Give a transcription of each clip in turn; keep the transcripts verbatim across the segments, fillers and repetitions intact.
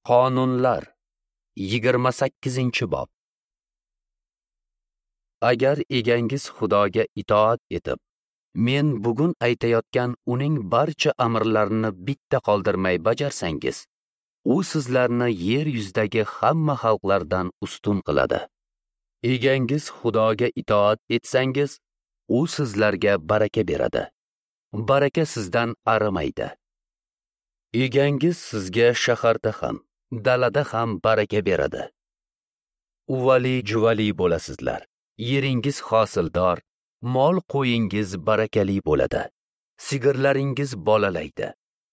Qonunlar yigirma sakkizinchi bob. Agar egangiz Xudoga itoat etib, men bugun aytayotgan uning barcha amrlarini bitta qoldirmay bajarsangiz, u sizlarni yer yuzidagi hamma xalqlardan ustun qiladi. Egangiz Xudoga itoat etsangiz, u sizlarga baraka beradi. Baraka sizdan arimaydi. Egangiz sizga shaharda ham, dalada ham baraka beradi. Uvali-juvali bo'lasizlar. Yeringiz hosildor, mol qo'yingiz barakali bo'ladi. Sigirlaringiz bolalaydi,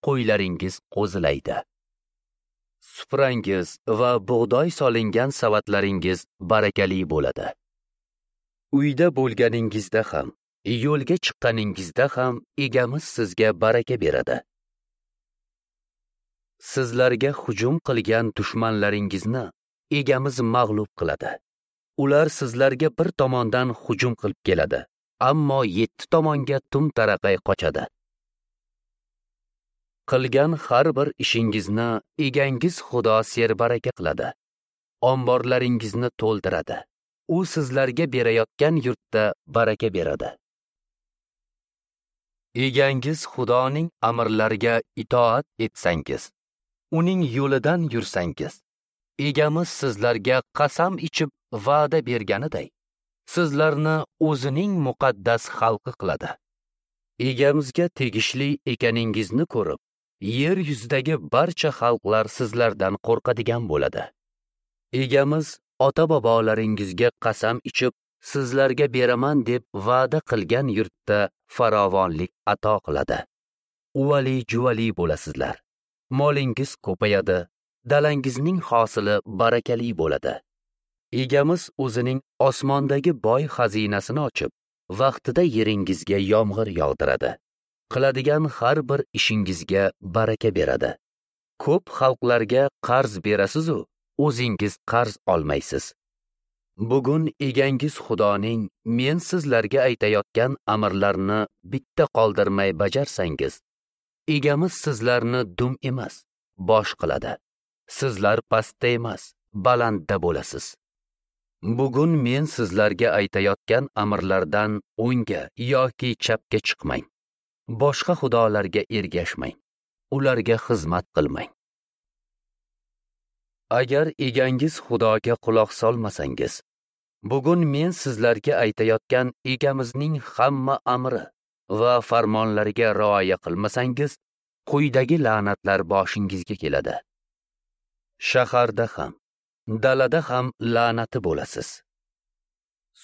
qo'ylaringiz qo'zilaydi. Suprangiz va bug'doy solingan savatlaringiz barakali bo'ladi. Uyda bo'lganingizda ham, yo'lga chiqqaningizda ham egamiz sizga baraka beradi. Sizlarga hujum qilgan dushmanlaringizni egamiz mag'lub qiladi. Ular sizlarga bir tomondan hujum qilib keladi, ammo yetti tomonga tum taraqay qochadi. Qilgan har bir ishingizni egangiz Xudo serbaraka qiladi. Omborlaringizni to'ldiradi. U sizlarga berayotgan yurtda baraka beradi. Egangiz Xudoning amrlariga itoat etsangiz, uning yo'lidan yursangiz, egamiz sizlarga qasam ichib va'da berganiday, sizlarni o'zining muqaddas xalqi qiladi. Egamizga tegishli ekaningizni ko'rib, yer yuzidagi barcha xalqlar sizlardan qo'rqadigan bo'ladi. Egamiz ota-bobolaringizga qasam ichib, sizlarga beraman deb va'da qilgan yurtda farovonlik ato qiladi. Uvali-juvali bo'lasizlar. Molingiz ko'payadi, dalangizning hosili barakali bo'ladi. Egamiz o'zining osmondagi boy xazinasini ochib, vaqtida yeringizga yomg'ir yog'diradi. Qiladigan har bir ishingizga baraka beradi. Ko'p xalqlarga qarz berasiz-u, o'zingiz qarz olmaysiz. Bugun egangiz Xudoning men sizlarga aytayotgan amrlarini bitta qoldirmay bajarsangiz, egamiz sizlarni dum emas, bosh qiladi. Sizlar pastda emas, balandda bo'lasiz. Bugun men sizlarga aytayotgan amrlardan o'ngga yoki chapga chiqmang. Boshqa xudolarga ergashmang. Ularga xizmat qilmang. Agar egangiz Xudoga quloq solmasangiz, bugun men sizlarga aytayotgan egamizning hamma amri va farmonlariga rioya qilmasangiz, quyidagi la'natlar boshingizga keladi. Shaharda ham, dalada ham la'nati bo'lasiz.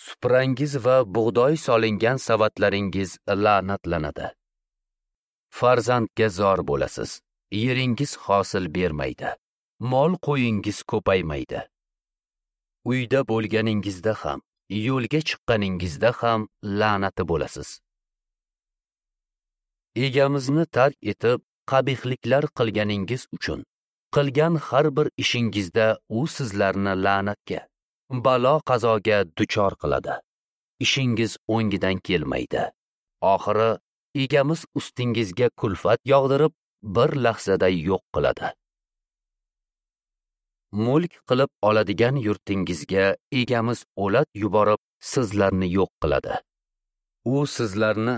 Suprangiz va bug'doy solingan savatlaringiz la'natlanadi. Farzandga zor bo'lasiz. Yeringiz hosil bermaydi. Mol qo'yingiz ko'paymaydi. Uyda bo'lganingizda ham, yo'lga chiqqaningizda ham la'nati bo'lasiz. Egamizni tark etib, qabihliklar qilganingiz uchun qilgan har bir ishingizda u sizlarni la'natga, balo qazoga duchor qiladi. Ishingiz o'ngidan kelmaydi. Oxiri egamiz ustingizga kulfat yog'dirib, bir lahzada yo'q qiladi. Mulk qilib oladigan yurtingizga egamiz o'lat yuborib, sizlarni yo'q qiladi. U sizlarni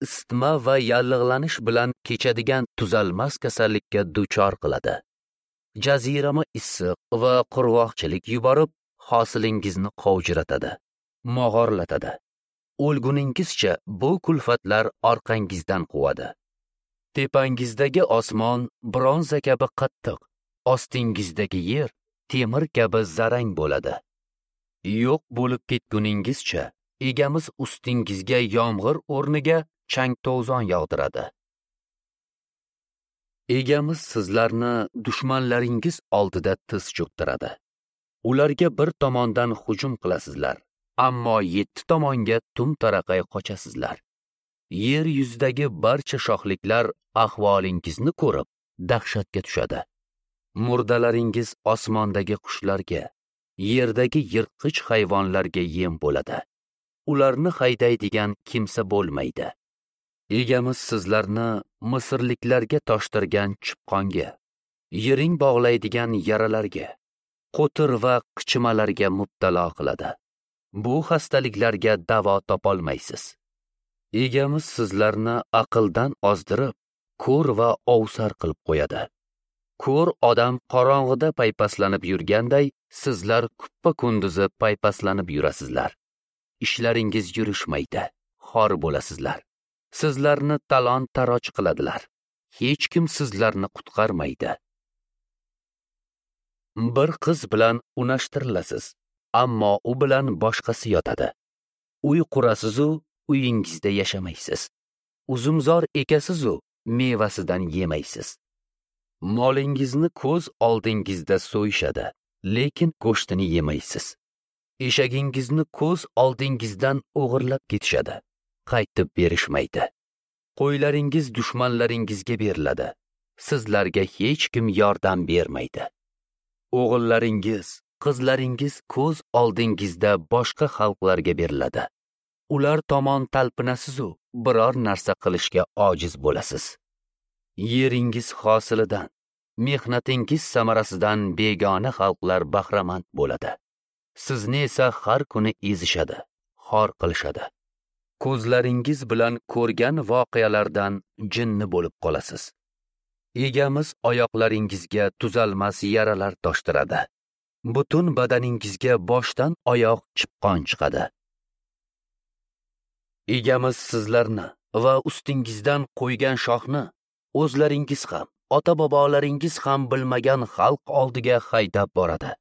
isitma va yallig'lanish bilan kechadigan tuzalmas kasallikka duchor qiladi. Jazirama issiq va qurg'oqchilik yuborib, hosilingizni qovjiratadi, mog'orlatadi. O'lguningizcha bu kulfatlar orqangizdan quvadi. Tepangizdagi osmon bronza kabi qattiq, ostingizdagi yer temir kabi zarang bo'ladi. Yo'q bo'lib ketguningizcha egamiz ustingizga yomg'ir o'rniga chang-to'zon yog'diradi. Egamiz sizlarni dushmanlaringiz oldida tiz cho'ktiradi. Ularga bir tomondan hujum qilasizlar, ammo yetti tomonga tum taraqay qochasizlar. Yer yuzidagi barcha shohliklar ahvolingizni ko'rib dahshatga tushadi. Murdalaringiz osmondagi qushlarga, yerdagi yirtqich hayvonlarga yem bo'ladi. Ularni haydaydigan kimsa bo'lmaydi. Egamiz sizlarni Misrliklarga toshtirgan chipqonga, Yiring bog'laydigan yaralarga, qo'tir va qichimalarga mubtalo qiladi. Bu xastaliklarga davo topolmaysiz. Egamiz sizlarni aqldan ozdirib, ko'r va ovsar qilib qo'yadi. Ko'r odam qorong'ida paypaslanib yurganday, sizlar kuppa-kunduzi paypaslanib yurasizlar. Ishlaringiz yurishmaydi, xor bo'lasizlar. Sizlarni talon-taroj qiladilar. Hech kim sizlarni qutqarmaydi. Bir qiz bilan unashtirilasiz, ammo u bilan boshqasi yotadi. Uy qurasiz-u, uyingizda yashamaysiz. Uzumzor ekasiz-u, mevasidan yemaysiz. Molingizni ko'z oldingizda so'yishadi, lekin go'shtini yemaysiz. Eshagingizni ko'z oldingizdan o'g'irlab ketishadi, qaytib berishmaydi. Qo'ylaringiz dushmanlaringizga beriladi. Sizlarga hech kim yordam bermaydi. O'g'illaringiz, qizlaringiz ko'z oldingizda boshqa xalqlarga beriladi. Ular tomon talpinasiz-u, biror narsa qilishga ojiz bo'lasiz. Yeringiz hosilidan, mehnatingiz samarasidan begona xalqlar bahramand bo'ladi. Sizni esa har kuni ezishadi, xor qilishadi. Ko'zlaringiz bilan ko'rgan voqealardan jinni bo'lib qolasiz. Egamiz oyoqlaringizga tuzalmas yaralar toshtiradi. Butun badaningizga boshdan oyoq chipqon chiqadi. Egamiz sizlarni va ustingizdan qo'ygan shohni o'zlaringiz ham, ota-bobolaringiz ham bilmagan xalq oldiga haydab boradi.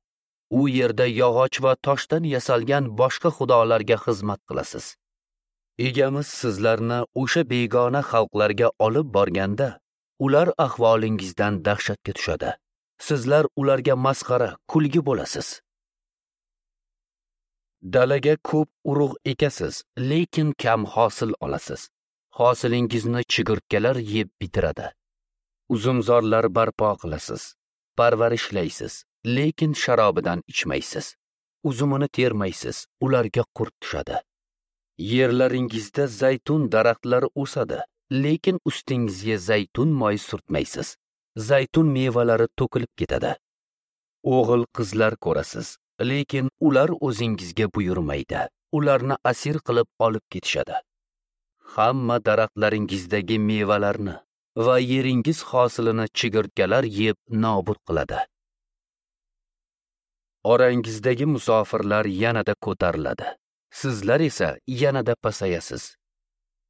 U yerda yog'och va toshdan yasalgan boshqa xudolarga xizmat qilasiz. Egamiz sizlarni o'sha begona xalqlarga olib borganda, ular ahvolingizdan dahshatga tushadi. Sizlar ularga masxara, kulgi bo'lasiz. Dalaga ko'p urug' ekasiz, lekin kam hosil olasiz. Hosilingizni chigirtkalar yeb bitiradi. Uzumzorlar barpo qilasiz, parvarishlaysiz, lekin sharobidan ichmaysiz. Uzumini termaysiz, ularga qurt tushadi. Yerlaringizda zaytun daraxtlari o'sadi, lekin ustingizga zaytun moyi surtmaysiz. Zaytun mevalari to'kilib ketadi. O'g'il qizlar ko'rasiz, lekin ular o'zingizga buyurmaydi. Ularni asir qilib olib ketishadi. Hamma daraxtlaringizdagi mevalarni va yeringiz hosilini chigirtkalar yeb nobud qiladi. Orangizdagi musofirlar yanada ko'tariladi. Sizlar esa yanada pasayasiz.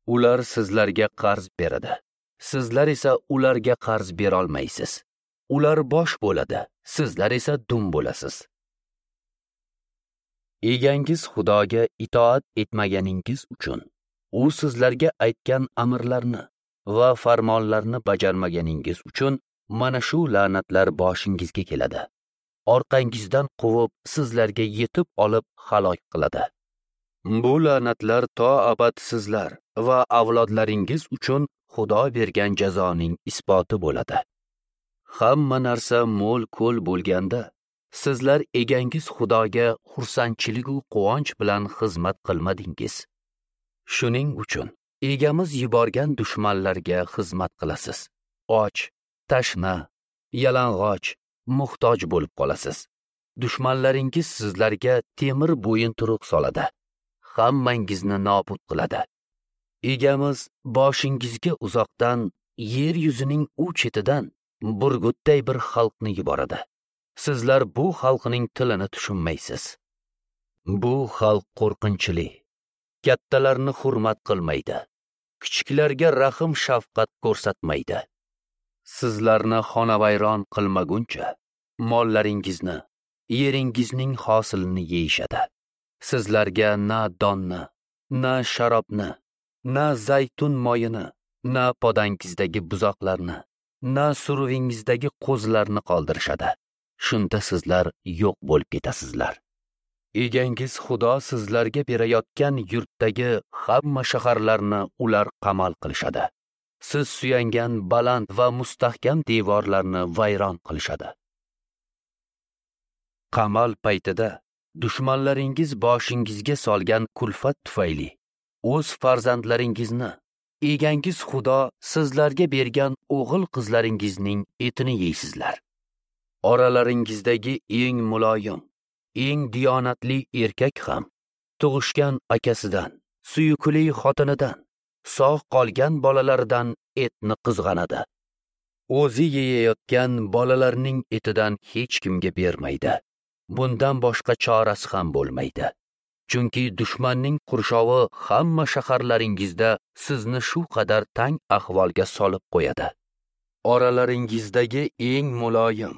Ular sizlarga qarz beradi. Sizlar esa ularga qarz bera olmaysiz. Ular bosh bo'ladi, sizlar esa dum bo'lasiz. Egangiz Xudoga itoat etmaganingiz uchun, u sizlarga aytgan amrlarni va farmonlarni bajarmaganingiz uchun mana shu la'natlar boshingizga keladi. Orqangizdan quvib, sizlarga yetib olib halok qiladi. Bu la'natlar to abad sizlar va avlodlaringiz uchun Xudo bergan jazoning isboti bo'ladi. Hamma narsa mo'l-ko'l bo'lganda, sizlar egangiz Xudoga xursandchilik va quvonch bilan xizmat qilmadingiz. Shuning uchun egamiz yuborgan dushmanlarga xizmat qilasiz. Och, tashna, yalang'och, muhtoj bo'lib qolasiz. Dushmanlaringiz sizlarga temir bo'yinturuq soladi. Hammangizni nobud qiladi. Egamiz boshingizga uzoqdan, yer yuzining u chetidan burgutday bir xalqni yuboradi. Sizlar bu xalqning tilini tushunmaysiz. Bu xalq qo'rqinchli. Kattalarni hurmat qilmaydi. Kichiklarga rahm shafqat ko'rsatmaydi. Sizlarni xonavayron qilmaguncha mollaringizni, yeringizning hosilini yeyishadi. Sizlarga na donni, na sharobni, na zaytun moyini, na podangizdagi buzoqlarni, na suruvingizdagi qo'zilarni qoldirishadi. Shunda sizlar yo'q bo'lib ketasizlar. Egangiz Xudo sizlarga berayotgan yurtdagi hamma shaharlarni ular qamal qilishadi. Siz suyangan baland va mustahkam devorlarni vayron qilishadi. Qamal paytida dushmanlaringiz boshingizga solgan kulfat tufayli o'z farzandlaringizni, egangiz Xudo sizlarga bergan o'g'il qizlaringizning etini yeysizlar. Oralaringizdagi eng muloyim, eng diyonatli erkak ham tug'ishgan akasidan, suyukli xotinidan, sog' qolgan bolalaridan etni qizg'anadi. O'zi yeyayotgan bolalarning etidan hech kimga bermaydi. Bundan boshqa chorasi ham bo'lmaydi. Chunki dushmanning qurshovi hamma shaharlaringizda sizni shu qadar tang ahvolga solib qo'yadi. Oralaringizdagi eng muloyim,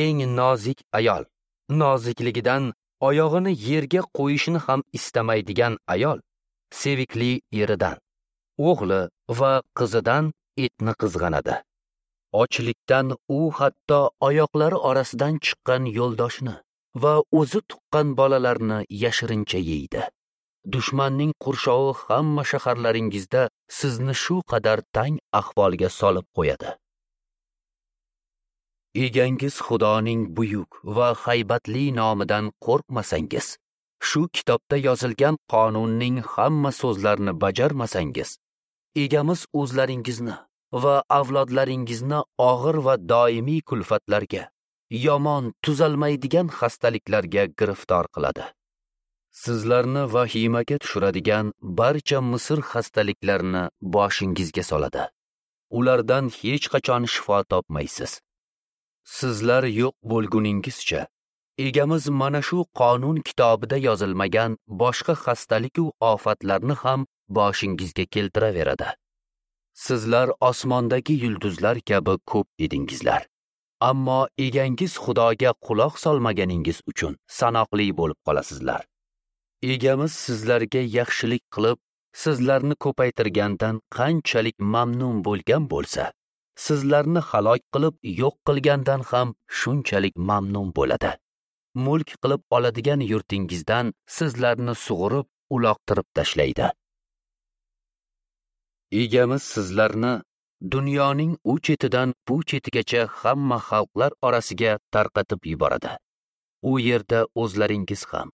eng nozik ayol, nozikligidan oyog'ini yerga qo'yishini ham istamaydigan ayol sevikli eridan, o'g'li va qizidan etni qizg'anadi. Ochlikdan u hatto oyoqlari orasidan chiqqan yo'ldoshini va o'zi tuqqan bolalarni yashirincha yeydi. Dushmanning qurshovi hamma shaharlaringizda sizni shu qadar tang ahvolga solib qo'yadi. Egangiz Xudoning buyuk va haybatli nomidan qo'rqmasangiz, shu kitobda yozilgan qonunning hamma so'zlarini bajarmasangiz, egamiz o'zlaringizni va avlodlaringizni og'ir va doimiy kulfatlarga, yomon tuzalmaydigan xastaliklarga giriftor qiladi. Sizlarni vahimaga tushiradigan barcha Misr xastaliklarini boshingizga soladi. Ulardan hech qachon shifo topmaysiz. Sizlar yo'q bo'lguningizcha egamiz mana shu qonun kitobida yozilmagan boshqa xastalik va ofatlarni ham boshingizga keltiraveradi. Sizlar osmondagi yulduzlar kabi ko'p edingizlar. Ammo egangiz Xudoga quloq solmaganingiz uchun sanoqli bo'lib qolasizlar. Egamiz sizlarga yaxshilik qilib, sizlarni ko'paytirgandan qanchalik mamnun bo'lgan bo'lsa, sizlarni halok qilib yo'q qilgandan ham shunchalik mamnun bo'ladi. Mulk qilib oladigan yurtingizdan sizlarni sug'urib, uloqtirib tashlaydi. Egamiz sizlarni dunyoning u chetidan bu chetigacha hamma xalqlar orasiga tarqatib yuboradi. U yerda o'zlaringiz ham,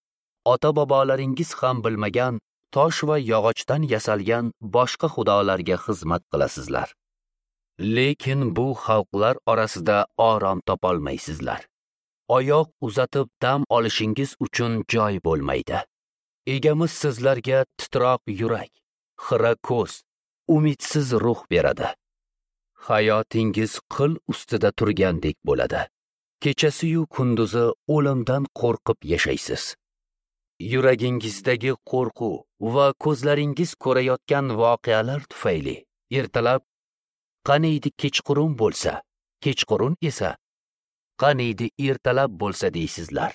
ota-bobolaringiz ham bilmagan tosh va yog'ochdan yasalgan boshqa xudolarga xizmat qilasizlar. Lekin bu xalqlar orasida orom topolmaysizlar. Oyoq uzatib dam olishingiz uchun joy bo'lmaydi. Egamiz sizlarga titroq yurak, xira ko'z, umidsiz ruh beradi. Hayotingiz qil ustida turgandek bo'ladi. Kechasi-yu kunduzi o'limdan qo'rqib yashaysiz. Yuragingizdagi qo'rquv va ko'zlaringiz ko'rayotgan voqealar tufayli ertalab qaniydi kechqurun bo'lsa, kechqurun esa qaniydi ertalab bo'lsa deysizlar.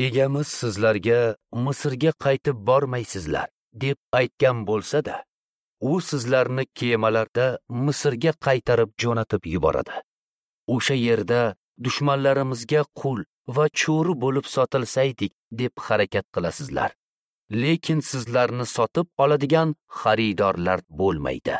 Egamiz sizlarga Misrga qaytib bormaysizlar deb aytgan bo'lsa-da, u sizlarni kemalarda Misrga qaytarib jo'natib yuboradi. O'sha yerda dushmanlarimizga qul va cho'ri bo'lib sotilsaydik deb harakat qilasizlar. Lekin sizlarni sotib oladigan xaridorlar bo'lmaydi.